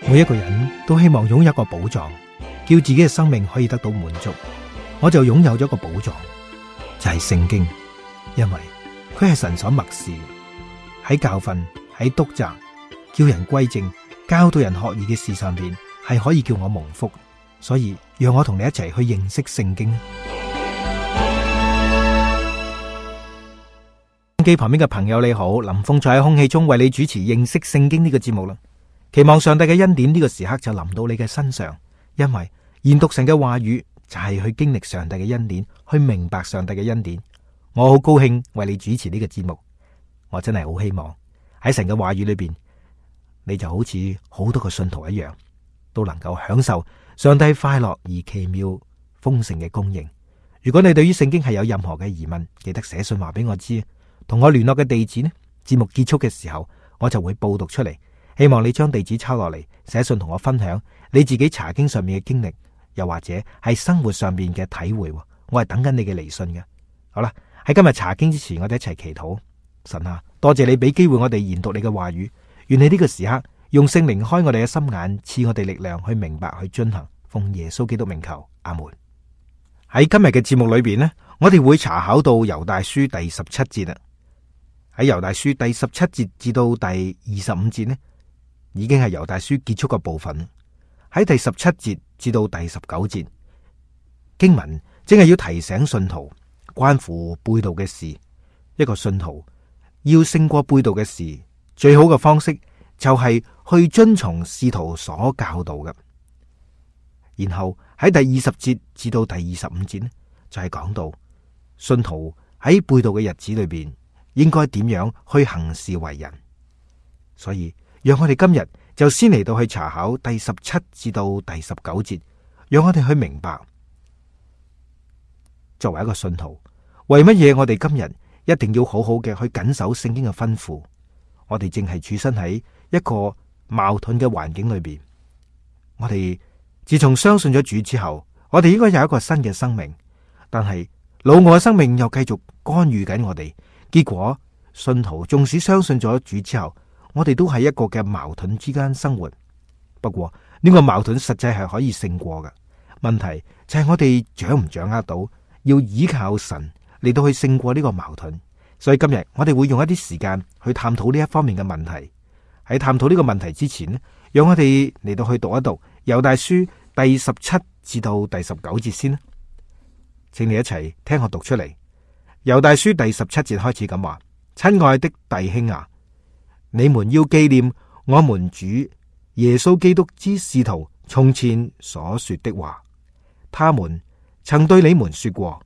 每一個人都希望擁有一個寶藏，叫自己嘅生命可以得到滿足。我就擁有咗一個寶藏，就係聖經，因為佢係神所默示，喺教訓、喺督責、叫人歸正、教導人學義嘅事上邊，係可以叫我蒙福。所以讓我同你一齊去認識聖經。機旁邊嘅朋友你好，林峰在喺空氣中為你主持認識聖經呢個節目啦。期望上帝嘅恩典呢個時刻就臨到你嘅身上，因為研讀神嘅話語就係去經歷上帝嘅恩典，去明白上帝嘅恩典。我好高興為你主持呢個節目，我真係好希望喺神嘅話語裏邊，你就好似好多個信徒一樣，都能夠享受上帝快樂而奇妙豐盛嘅供應。如果你對於聖經係有任何嘅疑問，記得寫信話俾我知，同我聯絡嘅地址呢，節目結束嘅時候我就會報讀出嚟。希望你將地址抄落嚟，寫信同我分享你自己查經上面嘅經歷，又或者係生活上面嘅體會。我係等緊你嘅嚟信嘅。好啦，喺今日查經之前，我哋一齊祈禱。神啊，多謝你俾機會我哋研讀你嘅話語，願你呢個時刻用聖靈開我哋嘅心眼，賜我哋力量去明白去遵行。奉耶穌基督名求，阿門。喺今日嘅節目裏邊呢，我哋會查考到猶大書第17節啦。喺猶大書第17節至到第25節呢，已經係猶大書結束嘅部分。喺第17節至到第19節，經文正係要提醒信徒關乎背道嘅事。一個信徒要勝過背道嘅事，最好嘅方式就係去遵從使徒所教導嘅。然後喺第20節至到第25節呢，就係講到信徒喺背道嘅日子裏邊應該點樣去行事為人。所以讓我哋今日就先嚟到去查考第17至到第19節，讓我哋去明白作為一個信徒，為乜嘢我哋今日一定要好好嘅去謹守聖經嘅吩咐。我哋正係處身喺一個矛盾嘅環境裏邊。我哋自從相信咗主之後，我哋應該有一個新嘅生命，但係老我嘅生命又繼續干預緊我哋。結果信徒縱使相信咗主之後，我哋都喺一個嘅矛盾之間生活。不過呢個矛盾實際係可以勝過嘅。問題就係我哋掌唔掌握到要依靠神嚟到去勝過呢個矛盾。所以今日我哋會用一啲時間去探討呢一方面嘅問題。喺探討呢個問題之前呢，讓我哋嚟到去讀一讀猶大書第17至到第19節先啦。請你一齊聽我讀出嚟。猶大書第17節開始咁話：親愛的弟兄啊，你們要紀念我們主耶穌基督之使徒從前所說的話。他們曾對你們說過，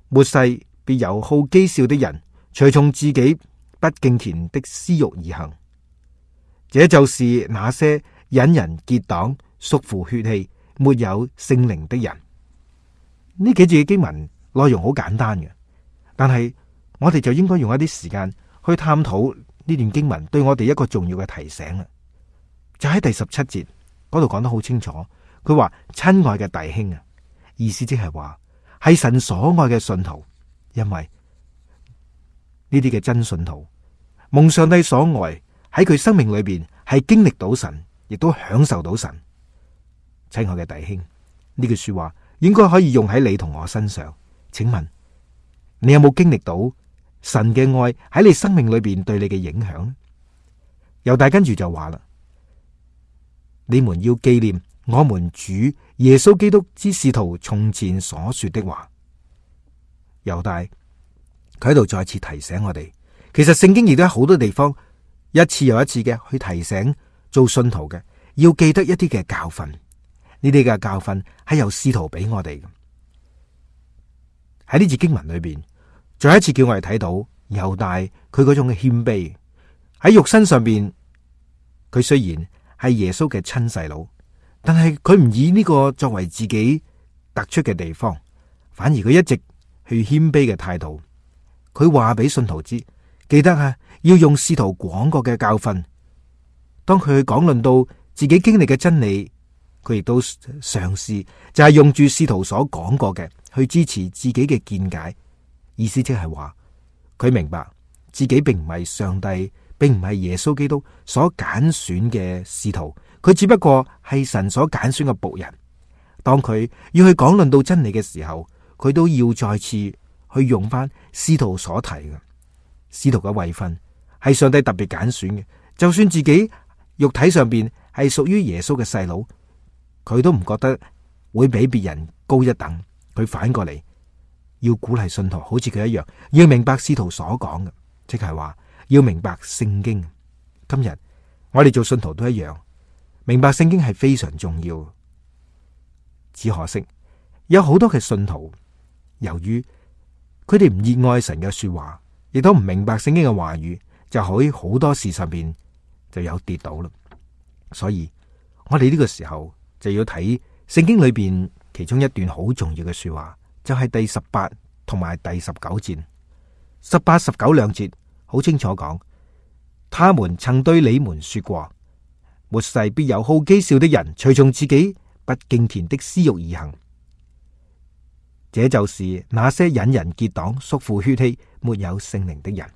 末世必有好譏笑的人，隨從自己不敬虔的私欲而行。這就是那些引人結黨、屬乎血氣、沒有聖靈的人。呢幾節嘅經文內容好簡單嘅，但係我哋就應該用一啲時間去探討呢段經文對我哋一個重要嘅提醒啦。就喺第17節嗰度講得好清楚，佢話親愛嘅弟兄啊，意思即係話係神所愛嘅信徒，因為呢啲嘅真信徒蒙上帝所愛，喺佢生命裏邊係經歷到神，亦都享受到神。親愛嘅弟兄，呢句說話應該可以用喺你同我身上。請問你有冇經歷到神嘅愛喺你生命裏邊對你嘅影響呢？猶大跟住就話啦：你們要紀念我們主耶穌基督之使徒從前所說的話。猶大佢喺度再次提醒我哋，其實聖經亦都喺好多地方一次又一次嘅去提醒做信徒嘅要記得一啲嘅教訓。呢啲嘅教訓係由使徒俾我哋嘅。喺呢節經文裏邊，再一次叫我哋睇到猶大佢嗰種嘅謙卑。喺肉身上邊，佢雖然係耶穌嘅親細佬，但係佢唔以呢個作為自己突出嘅地方，反而佢一直去謙卑嘅態度。佢話俾信徒知，記得啊，要用使徒講過嘅教訓。當佢去講論到自己經歷嘅真理，佢亦都嘗試就係用住使徒所講過嘅去支持自己嘅見解。意思即係話，佢明白自己並唔係上帝，並唔係耶穌基督所揀選嘅使徒，佢只不過係神所揀選嘅僕人。當佢要去講論到真理嘅時候，佢都要再次去用翻使徒所提嘅使徒嘅位分，係上帝特別揀選嘅。就算自己肉體上邊係屬於耶穌嘅細佬，佢都唔覺得會比別人高一等。佢反過嚟要鼓勵信徒，好似佢一樣，要明白使徒所講嘅，即係話要明白聖經。今日我哋做信徒都一樣，明白聖經係非常重要。只可惜有好多嘅信徒，由於佢哋唔熱愛神嘅說話，亦都唔明白聖經嘅話語，就喺好多事上邊就有跌倒啦。所以我哋呢個時候就要睇聖經裏邊其中一段好重要嘅說話，就係第18同埋第19節。18、19兩節好清楚講，他們曾對你們說過，末世必有好譏笑的人，隨從自己不敬虔的私欲而行。這就是那些引人結黨、屬乎血氣、沒有聖靈的人。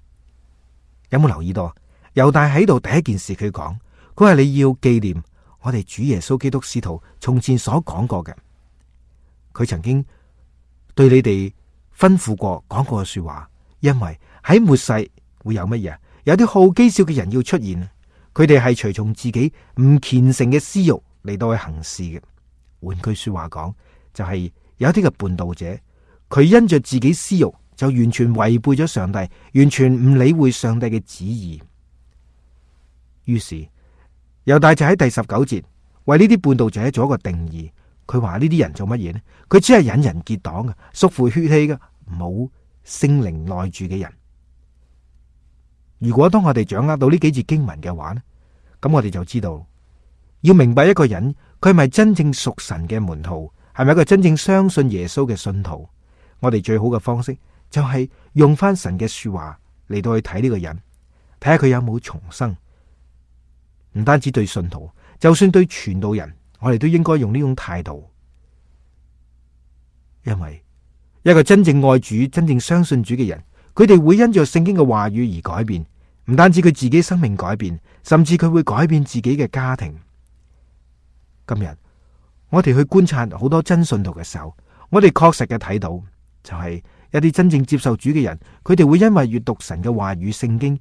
有冇留意到？猶大喺度第一件事佢講，佢話你要紀念我哋主耶穌基督使徒從前所講過嘅。佢曾經對你哋吩咐過講過嘅說話，因為喺末世會有乜嘢？有啲好譏笑嘅人要出現，佢哋係隨從自己唔虔誠嘅私欲嚟到去行事嘅。換句說話講，就係有啲嘅叛道者，佢因着自己私欲就完全違背咗上帝，完全唔理會上帝嘅旨意。於是猶大就喺第19節為呢啲叛道者做一個定義。佢話呢啲人做乜嘢呢？佢只係引人結黨嘅，屬乎血氣嘅，冇聖靈內住嘅人。如果當我哋掌握到呢幾節經文嘅話呢，咁我哋就知道要明白一個人佢係咪真正屬神嘅門徒，係咪一個真正相信耶穌嘅信徒。我哋最好嘅方式就係用翻神嘅說話嚟到去睇呢個人，睇下佢有冇重生。唔單止對信徒，就算對傳道人，我哋都應該用呢種態度。因為一個真正愛主、真正相信主嘅人，佢哋會因着聖經嘅話語而改變。唔單止佢自己生命改變，甚至佢會改變自己嘅家庭。今日我哋去觀察好多真信徒嘅時候，我哋確實嘅睇到，就係一啲真正接受主嘅人，佢哋會因為閱讀神嘅話語、聖經，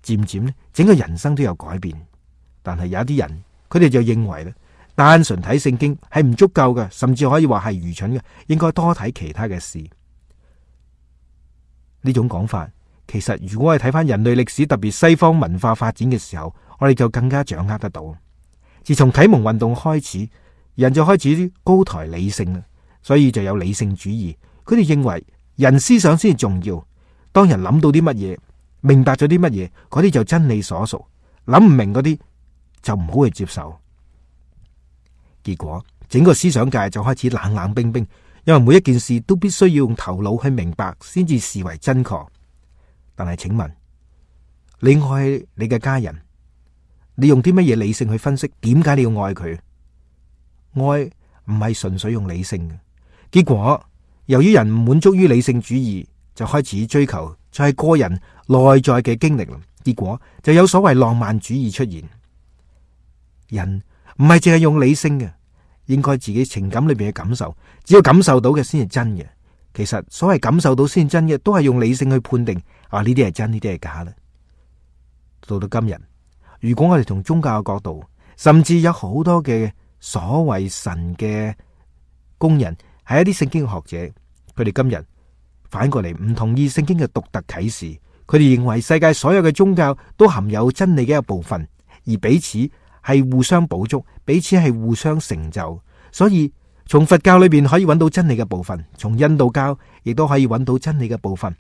漸漸咧整個人生都有改變。但係有一啲人，佢哋就認為咧，單純睇聖經係唔足夠嘅，甚至可以話係愚蠢嘅，應該多睇其他嘅事。呢種講法，其實如果我哋睇翻人類歷史，特別西方文化發展嘅時候，我哋就更加掌握得到。自從啟蒙運動開始，人就開始高抬理性啦，所以就有理性主義。佢哋認為人思想先重要，當人諗到啲乜嘢，明白咗啲乜嘢，嗰啲就真理所屬，諗唔明嗰啲就唔好去接受。結果整個思想界就開始冷冷冰冰，因為每一件事都必須要用頭腦去明白先至視為真確。但係請問，你愛你嘅家人，你用啲乜嘢理性去分析點解你要愛佢？愛唔係純粹用理性嘅。結果由於人唔滿足於理性主義，就開始追求就係個人內在嘅經歷。結果就有所謂浪漫主義出現。人唔係淨係用理性嘅，應該自己情感裏邊嘅感受，只要感受到嘅先係真嘅。其實所謂感受到先真嘅，都係用理性去判定啊，呢啲係真，呢啲係假啦。到今日，如果我哋從宗教嘅角度，甚至有好多嘅所謂神嘅工人，係一啲聖經嘅學者，佢哋今日反過嚟唔同意聖經嘅獨特啟示，佢哋認為世界所有嘅宗教都含有真理嘅一部分，而彼此係互相補足，彼此係互相成就。所以從佛教裏邊可以揾到真理嘅部分，從印度教亦都可以揾到真理嘅部分。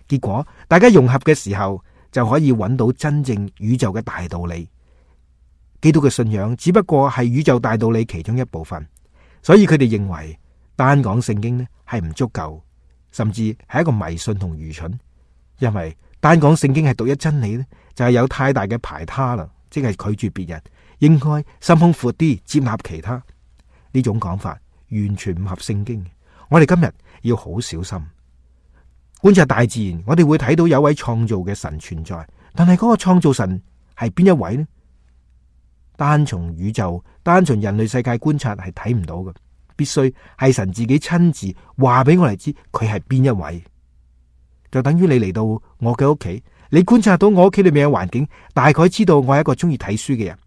結果大家融合嘅時候，就可以揾到真正宇宙嘅大道理。基督嘅信仰只不過係宇宙大道理其中一部分，所以佢哋認為單講聖經呢係唔足夠，甚至係一個迷信同愚蠢。因為單講聖經係獨一真理呢，就係有太大嘅排他啦，即係拒絕別人，應該心胸闊啲，接納其他。呢種講法完全唔合聖經。我哋今日要好小心觀察大自然，我哋會睇到有位創造嘅神存在，但係嗰個創造神係邊一位呢？單從宇宙、單從人類世界觀察係睇唔到嘅，必須係神自己親自話俾我哋知佢係邊一位。就等於你嚟到我嘅屋企，你觀察到我屋企裏面嘅環境，大概知道我係一個中意睇書嘅人，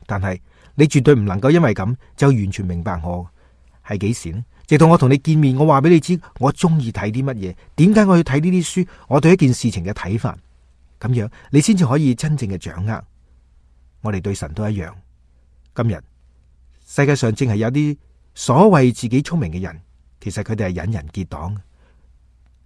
但係你絕對唔能夠因為咁就完全明白我係幾時呢？直到我同你見面，我話俾你知我中意睇啲乜嘢，點解我要睇呢啲書，我對一件事情嘅睇法，咁樣你先至可以真正嘅掌握。我哋對神都一樣。今日世界上正係有啲所謂自己聰明嘅人，其實佢哋係引人結黨。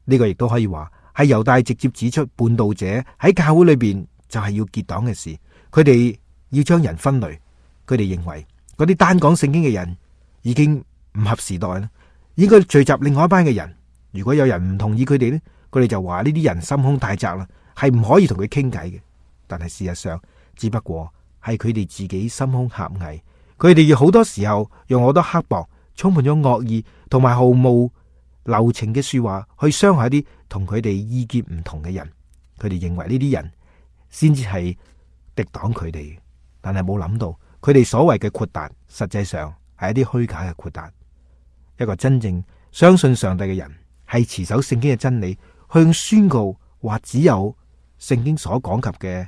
呢個亦都可以話係猶大直接指出叛道者喺教會裏邊就係要結黨嘅事。佢哋要將人分類，佢哋認為嗰啲單講聖經嘅人已經唔合時代啦，應該聚集另外一班嘅人。如果有人唔同意佢哋呢，佢哋就話呢啲人心胸太窄啦，係唔可以同佢傾偈嘅。但係事實上只不過係佢哋自己心胸狹隘，佢哋要好多時候用好多刻薄、充滿咗惡意同埋毫無留情嘅說話去傷害一啲同佢哋意見唔同嘅人。佢哋認為呢啲人先至係敵擋佢哋，但係冇諗到佢哋所謂嘅豁達，實際上係一啲虛假嘅豁達。一個真正相信上帝嘅人，係持守聖經嘅真理，向宣告話只有聖經所講及嘅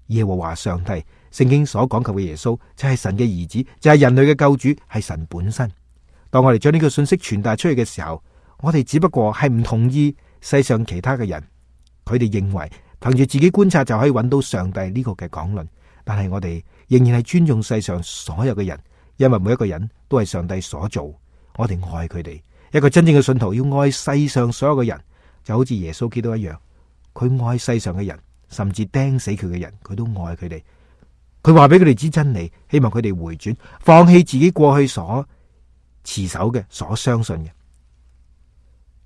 耶和華上帝，聖經所講及嘅耶穌就係神嘅兒子，就係人類嘅救主，係神本身。當我哋將呢個信息傳達出去嘅時候，我哋只不過係唔同意世上其他嘅人，佢哋認為憑住自己觀察就可以揾到上帝呢個嘅講論，但係我哋仍然係尊重世上所有嘅人，因為每一個人都係上帝所做，我哋愛佢哋。一個真正嘅信徒要愛世上所有嘅人，就好似耶穌基督一樣，佢愛世上嘅人，甚至釘死佢嘅人，佢都愛佢哋。佢話俾佢哋知真理，希望佢哋回轉，放棄自己過去所持守嘅、所相信嘅。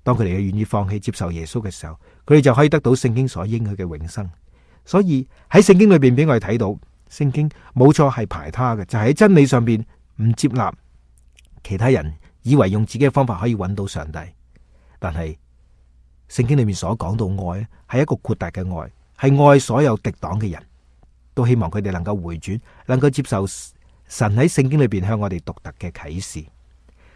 當佢哋願意放棄接受耶穌嘅時候，佢哋就可以得到聖經所應許嘅永生。所以喺聖經裏邊俾我哋睇到，聖經冇錯係排他嘅，就係喺真理上邊唔接納其他人以為用自己嘅方法可以揾到上帝。但係聖經裏面所講到愛係一個豁達嘅愛，係愛所有敵擋嘅人，都希望佢哋能夠回轉，能夠接受神喺聖經裏邊向我哋獨特嘅啟示。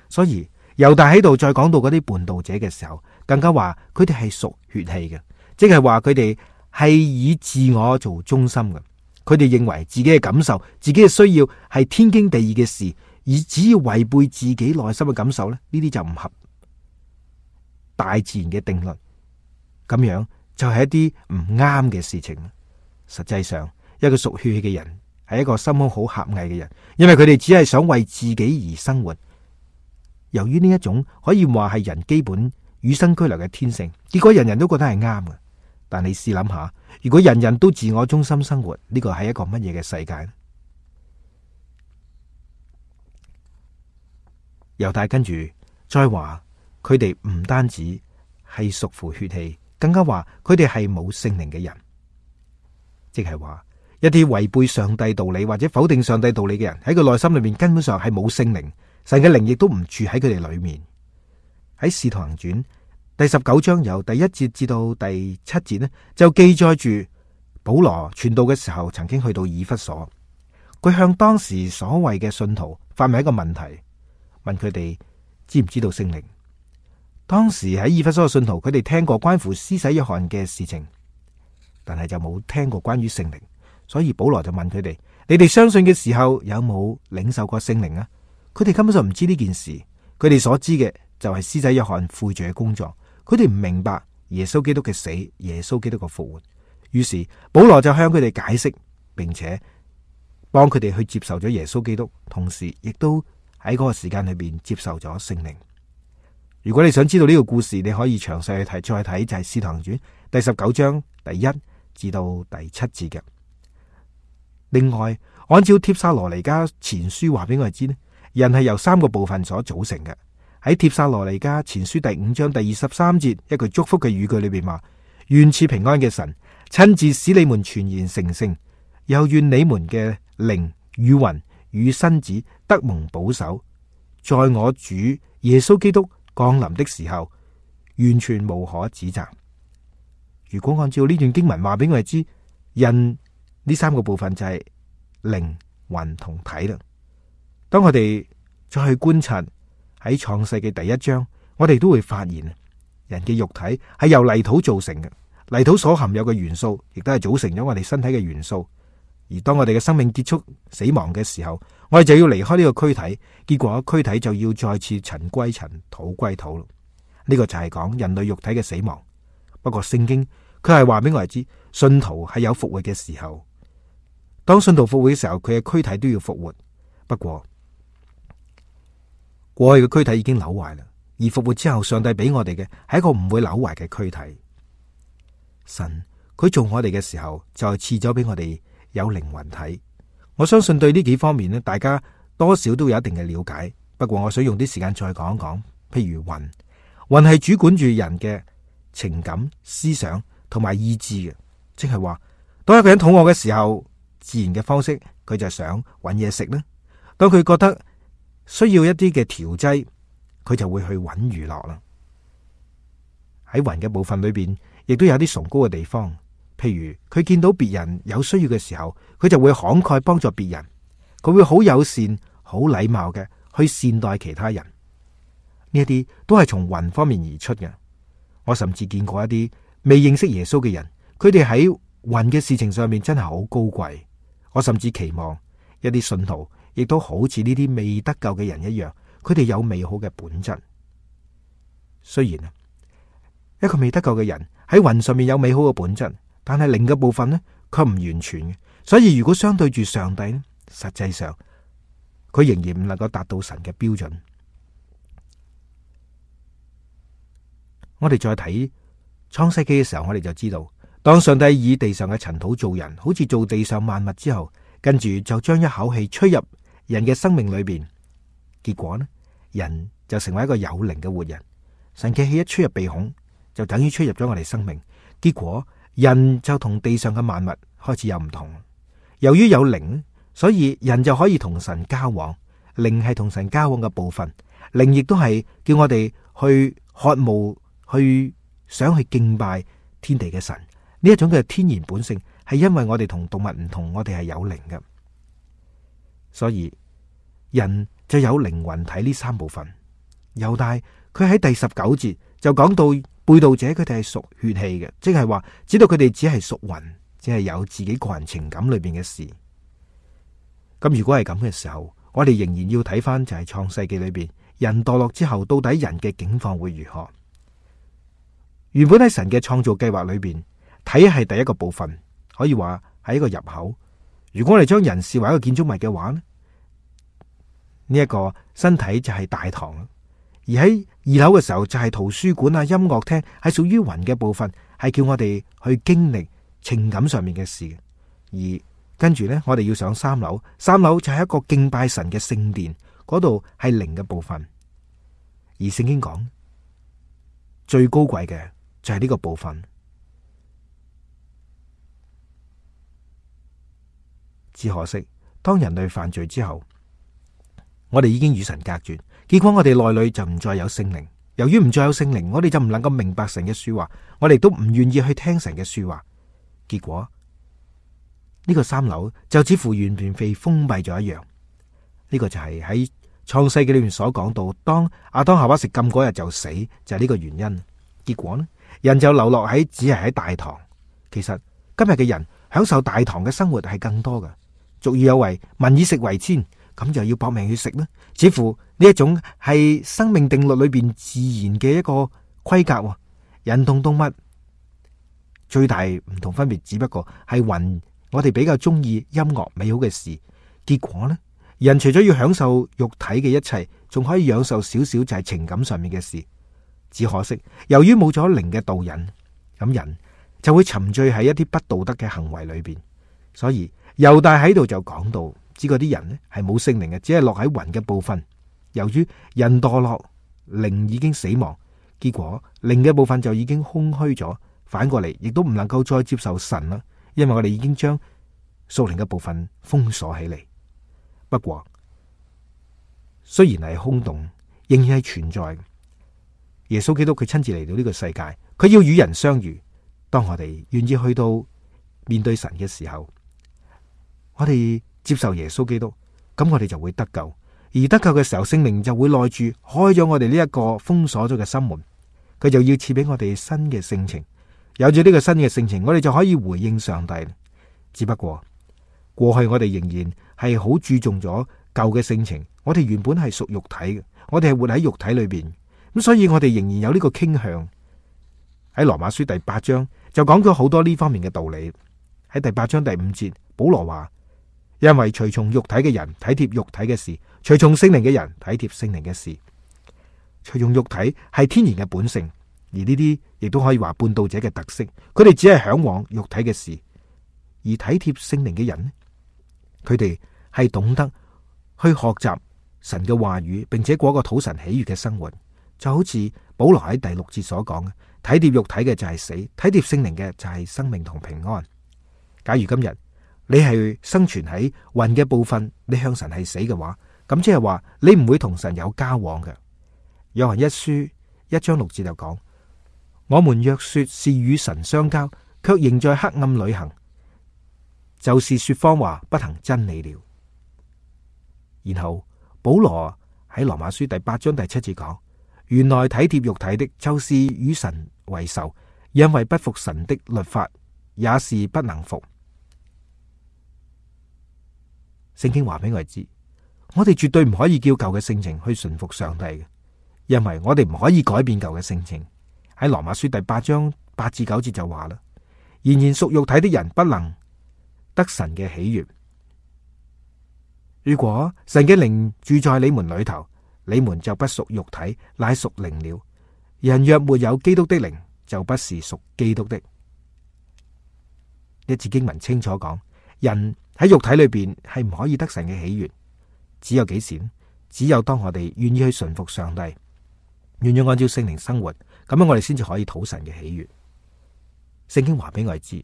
所以猶大喺度再講到嗰啲叛道者嘅時候，更加話佢哋係屬血氣嘅，即係話佢哋係以自我做中心嘅。佢哋認為自己嘅感受、自己嘅需要係天經地義嘅事，而只要違背自己內心嘅感受咧，呢啲就唔合大自然嘅定律。咁樣就係一啲唔啱嘅事情。實際上，一個屬血氣嘅人係一個心胸好狹隘嘅人，因為佢哋只係想為自己而生活。由於呢一種可以話係人基本與生俱來嘅天性，結果人人都覺得係啱嘅。但你試諗下，如果人人都自我中心生活，呢個係一個乜嘢嘅世界呢？猶大跟住再話，佢哋唔單止係屬乎血氣，更加話佢哋係冇聖靈嘅人，即係話一啲違背上帝道理或者否定上帝道理嘅人，喺佢內心裏面根本上係冇聖靈，神嘅靈亦都唔住喺佢哋裏面。喺《使徒行傳》第19章由第1節至到第7節呢，就記載住保羅傳道嘅時候，曾經去到以弗所，佢向當時所謂嘅信徒發明一個問題，問佢哋知唔知道聖靈。當時喺以弗所嘅信徒，佢哋聽過關乎施洗約翰嘅事情，但係就冇聽過關於聖靈，所以保羅就問佢哋：你哋相信嘅時候有冇領受過聖靈啊？佢哋根本就唔知呢件事，佢哋所知嘅就係施洗約翰悔罪嘅工作，佢哋唔明白耶穌基督嘅死、耶穌基督嘅復活。於是保羅就向佢哋解釋，並且幫佢哋去接受咗耶穌基督，同時亦都喺嗰個時間裏邊接受咗聖靈。如果你想知道呢個故事，你可以詳細去睇，再睇就係《使徒行傳》第19章第1至到第7節嘅。另外，按照帖撒羅尼迦前書話俾我哋知呢，人係由3個部分所組成嘅。喺帖撒羅尼迦前書第5章第23節一句祝福嘅語句裏邊話：願賜平安嘅神親自使你們全然成聖，又願你們嘅靈與魂與身子得蒙保守，在我主耶穌基督降臨的時候，完全無可指責。如果按照呢段經文話俾我哋知，人呢3個部分就係靈、魂同體啦。當我哋再去觀察喺創世嘅第一章，我哋都會發現人嘅肉體係由泥土造成嘅，泥土所含有嘅元素亦都係組成咗我哋身體嘅元素。而當我哋嘅生命結束死亡嘅時候，我哋就要離開呢個軀體，結果軀體就要再次塵歸塵，土歸土咯。呢個就係講人類肉體嘅死亡。不過聖經佢係話俾我哋知，信徒係有復活嘅時候。當信徒復活嘅時候，佢嘅軀體都要復活。不過過去嘅軀體已經朽壞啦，而復活之後，上帝俾我哋嘅係一個唔會朽壞嘅軀體。神佢做我哋嘅時候，就係賜咗俾我哋有靈魂體。我相信對呢幾方面呢，大家多少都有一定嘅了解。不過我想用啲時間再講一講，譬如魂係主管住人嘅情感、思想同埋意志嘅，即係話當一個人肚餓嘅時候，自然嘅方式佢就想搵嘢食啦。當佢覺得需要一啲嘅調劑，佢就會去搵娛樂啦。喺魂嘅部分裏邊，亦都有啲崇高嘅地方。譬如佢見到別人有需要嘅時候，佢就會慷慨幫助別人，佢會好友善、好禮貌嘅去善待其他人。呢一啲都係從魂方面而出嘅。我甚至見過一啲未認識耶穌嘅人，佢哋喺魂嘅事情上面真係好高貴。我甚至期望一啲信徒亦都好似呢啲未得救嘅人一樣，佢哋有美好嘅本質。雖然一個未得救嘅人喺魂上面有美好嘅本質，但係靈嘅部分呢，佢唔完全嘅。所以如果相對住上帝呢，實際上佢仍然唔能夠達到神嘅標準。我哋再睇創世記嘅時候，我哋就知道，當上帝以地上嘅塵土造人，好似做地上萬物之後，跟住就將一口氣吹入人嘅生命裏邊，結果呢，人就成為一個有靈嘅活人。神嘅氣一吹入鼻孔，就等於吹入咗我哋生命，結果人就同地上嘅萬物開始有唔同。由於有靈，所以人就可以同神交往。靈係同神交往嘅部分，靈亦都係叫我哋去渴慕、去想去敬拜天地嘅神。呢一種嘅天然本性，係因為我哋同動物唔同，我哋係有靈嘅，所以人就有靈魂體呢三部分。猶大佢喺第19節就講到背道者佢哋係屬血氣嘅，即係話知道佢哋只係屬魂，只係有自己個人情感裏邊嘅事。咁如果係咁嘅時候，我哋仍然要睇翻就係創世記裏邊人墮落之後，到底人嘅境況會如何？原本喺神嘅創造計劃裏邊，體係第一個部分，可以話係一個入口。如果我哋將人視為一個建築物嘅話呢，呢一個身體就係大堂，而喺2樓嘅時候就係圖書館啊、音樂廳，係屬於魂嘅部分，係叫我哋去經歷情感上面嘅事。而跟住呢，我哋要上3樓，3樓就係一個敬拜神嘅聖殿，嗰度係靈嘅部分。而聖經講最高貴嘅就係呢個部分。只可惜當人類犯罪之後，我哋已經與神隔絕，結果我哋內裏就唔再有聖靈。由於唔再有聖靈，我哋就唔能夠明白神嘅說話，我哋都唔願意去聽神嘅說話。結果呢個3樓就似乎完全被封閉咗一樣。呢個就係喺創世記裏面所講到，當亞當夏娃食禁嗰日就死，就係呢個原因。結果呢，人就流落喺只係喺大堂。其實今日嘅人享受大堂嘅生活係更多嘅。俗語有為，民以食為天，咁就要搏命去食呢，似乎呢一種係生命定律裏邊自然嘅一個規格。人同動物最大唔同分別，只不過係魂，我哋比較中意音樂美好嘅事。結果呢，人除咗要享受肉體嘅一切，仲可以享受少少就係情感上面嘅事。只可惜由於冇咗靈嘅導引，咁人就會沉醉喺一啲不道德嘅行為裏邊。所以猶大喺度就講到，知嗰啲人呢係冇聖靈嘅，只係落喺魂嘅部分。由於人墮落，靈已經死亡，結果靈嘅部分就已經空虛咗，反過嚟亦都唔能夠再接受神啦，因為我哋已經將屬靈嘅部分封鎖起嚟。不過雖然係空洞，仍然係存在。耶穌基督佢親自嚟到呢個世界，佢要與人相遇。當我哋願意去到面對神嘅時候，我哋接受耶穌基督，咁我哋就會得救。而得救嘅時候，聖靈就會內住，開咗我哋呢一個封鎖咗嘅心門，佢就要賜俾我哋新嘅性情。有咗呢個新嘅性情，我哋就可以回應上帝。只不過過去我哋仍然係好注重咗舊嘅性情，我哋原本係屬肉體嘅，我哋係活喺肉體裏邊，咁所以我哋仍然有呢個傾向。喺羅馬書第8章就講咗好多呢方面嘅道理。喺第8章第5節，保羅話：因為隨從肉體嘅人體貼肉體嘅事，隨從聖靈嘅人體貼聖靈嘅事。隨從肉體係天然嘅本性，而呢啲亦都可以話叛道者嘅特色。佢哋只係向往肉體嘅事，而體貼聖靈嘅人，佢哋係懂得去學習神嘅話語，並且過一個討神喜悅嘅生活。就好似保羅喺第6節所講嘅，體貼肉體嘅就係死，體貼聖靈嘅就係生命同平安。假如今日你係生存喺魂嘅部分，你向神係死嘅話，咁即係話你唔會同神有交往嘅。約翰一書1章6節就講：我們若說是與神相交，卻仍在黑暗裏行，就是說謊話，不行真理了。然後保羅喺羅馬書第8章第7節講：原來體貼肉體的，就是與神為仇，因為不服神的律法，也是不能服。聖經話俾我哋知，我哋絕對唔可以叫舊嘅性情去順服上帝嘅，因為我哋唔可以改變舊嘅性情。喺羅馬書第8章8至9節就話啦：然而屬肉體的人不能得神嘅喜悅。如果神嘅靈住在你們裏頭，你們就不屬肉體，乃屬靈了。人若沒有基督的靈，就不是屬基督的。一節經文清楚講，人喺肉體裏邊係唔可以得神嘅喜悅。只有幾時呢？只有當我哋願意去順服上帝，願意按照聖靈生活，咁樣我哋先至可以討神嘅喜悅。聖經話俾我哋知，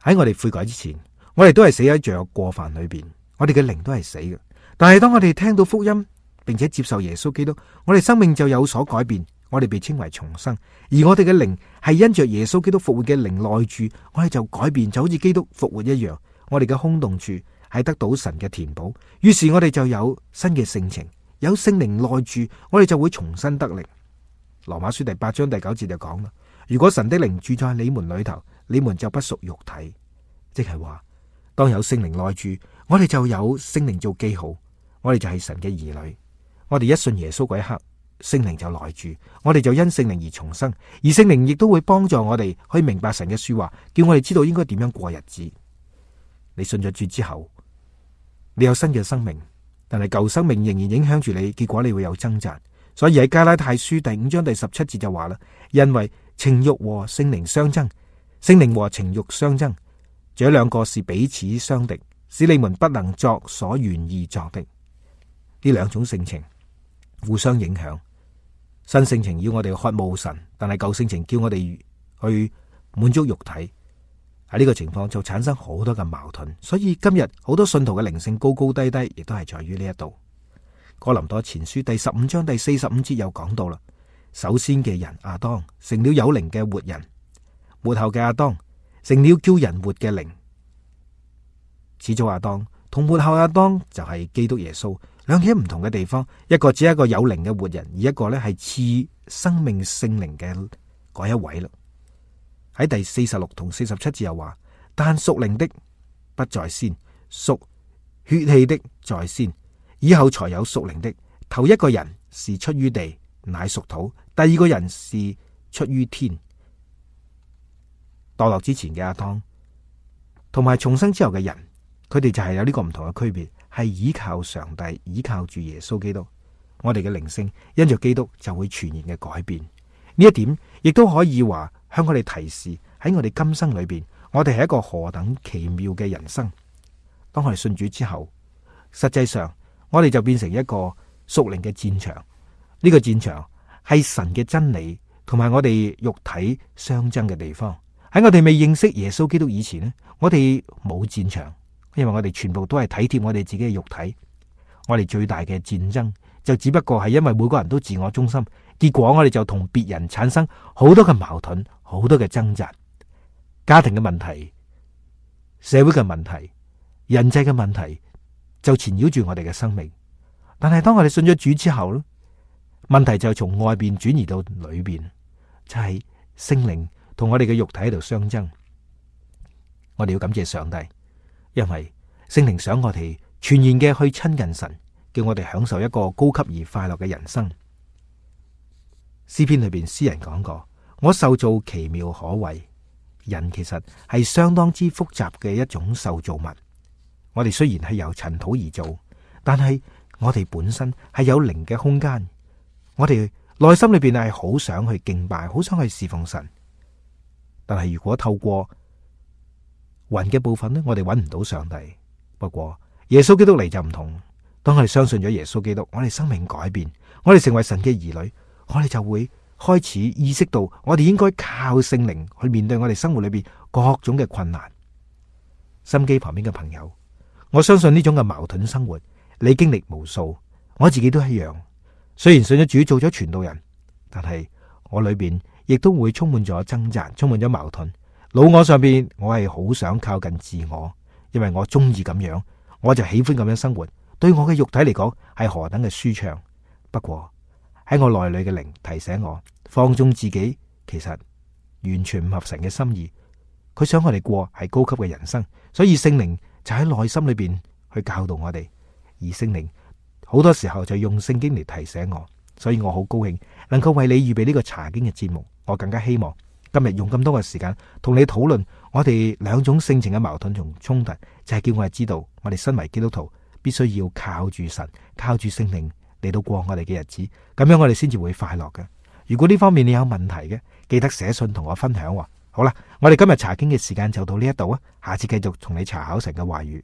喺我哋悔改之前，我哋都係死喺罪惡過犯裏邊，我哋嘅靈都係死嘅。但係當我哋聽到福音，並且接受耶穌基督，我哋生命就有所改變，我哋被稱為重生。而我哋嘅靈係因着耶穌基督復活嘅靈內住，我哋就改變，就好似基督復活一樣。我哋嘅空洞處係得到神嘅填補，於是我哋就有新嘅性情，有聖靈內住，我哋就會重新得力。羅馬書第8章第9節就講啦：如果神的靈住在你們裏頭，你們就不屬肉體。即係話，當有聖靈內住，我哋就有聖靈做記號，我哋就係神嘅兒女。我哋一信耶穌嗰一刻，聖靈就內住，我哋就因聖靈而重生，而聖靈亦都會幫助我哋去明白神嘅說話，叫我哋知道應該點樣過日子。你信咗主之後，你有新嘅生命，但係舊生命仍然影響住你，結果你會有掙扎。所以喺加拉太書第5章第17節就話啦：因為情欲和聖靈相爭，聖靈和情欲相爭，這兩個是彼此相敵，使你們不能作所願意作的。呢兩種性情互相影響，新性情要我哋渴慕神，但係舊性情叫我哋去滿足肉體。喺呢個情況就產生好多嘅矛盾，所以今日好多信徒嘅靈性高高低低，亦都係在於呢一度。哥林多前書第15章第45節又講到啦：首先嘅人亞當成了有靈嘅活人，末後嘅亞當成了叫人活嘅靈。始祖亞當同末後亞當就係基督耶穌，兩者唔同嘅地方，一個只係一個有靈嘅活人，而一個咧係賜生命聖靈嘅嗰一位啦。喺第46同47節又話：但屬靈的不在先，屬血氣的在先，以後才有屬靈的。頭一個人是出於地，乃屬土；第二個人是出於天。墮落之前嘅亞當，同埋重生之後嘅人，佢哋就係有呢個唔同嘅區別，係依靠上帝，依靠住耶穌基督。我哋嘅靈性因着基督就會全然嘅改變。呢一點亦都可以話向我哋提示，喺我哋今生裏邊，我哋係一個何等奇妙嘅人生。當我哋信主之後，實際上我哋就變成一個屬靈嘅戰場。呢個戰場係神嘅真理同埋我哋肉體相爭嘅地方。喺我哋未認識耶穌基督以前呢，我哋冇戰場，因為我哋全部都係體貼我哋自己嘅肉體。我哋最大嘅戰爭就只不過係因為每個人都自我中心，結果我哋就同別人產生好多嘅矛盾，好多嘅掙扎，家庭嘅問題、社會嘅問題，人際嘅問題就纏繞住我哋嘅生命。但係當我哋信咗主之後咧，問題就從外邊轉移到裏邊，就係聖靈同我哋嘅肉體喺度相爭。我哋要感謝上帝，因為聖靈想我哋全然嘅去親近神，叫我哋享受一個高級而快樂嘅人生。詩篇裏邊詩人講過，我受造奇妙可畏。人其實係相當之複雜嘅一種受造物。我哋雖然係由塵土而造，但係我哋本身係有靈嘅空間。我哋內心裏邊係好想去敬拜，好想去侍奉神。但係如果透過魂嘅部分呢，我哋揾唔到上帝。不過耶穌基督嚟就唔同，當我哋相信咗耶穌基督，我哋生命改變，我哋成為神嘅兒女，我哋就會開始意識到，我哋應該靠聖靈去面對我哋生活裏邊各種嘅困難。心機旁邊嘅朋友，我相信呢種嘅矛盾生活，你經歷無數，我自己都一樣。雖然信咗主做咗傳道人，但係我裏邊亦都會充滿咗掙扎，充滿咗矛盾。老我上邊，我係好想靠近自我，因為我中意咁樣，我就喜歡咁樣生活。對我嘅肉體嚟講，係何等嘅舒暢。不過喺我內裏嘅靈提醒我，放縱自己其實完全唔合神嘅心意。佢想我哋過係高級嘅人生，所以聖靈就喺內心裏邊去教導我哋。而聖靈好多時候就用聖經嚟提醒我，所以我好高興能夠為你預備呢個查經嘅節目。我更加希望今日用咁多嘅時間同你討論我哋兩種性情嘅矛盾同衝突，就係叫我哋知道，我哋身為基督徒必須要靠住神，靠住聖靈嚟到過我哋嘅日子，咁樣我哋先至會快樂嘅。如果呢方面你有問題嘅，記得寫信同我分享。好啦，我哋今日查經嘅時間就到呢一度啊，下次繼續同你查考神嘅話語。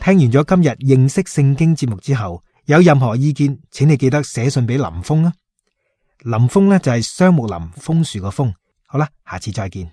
聽完咗今日認識聖經節目之後，有任何意見，請你記得寫信俾林峰啊。林峰呢就係雙木林楓樹個楓。好啦，下次再見。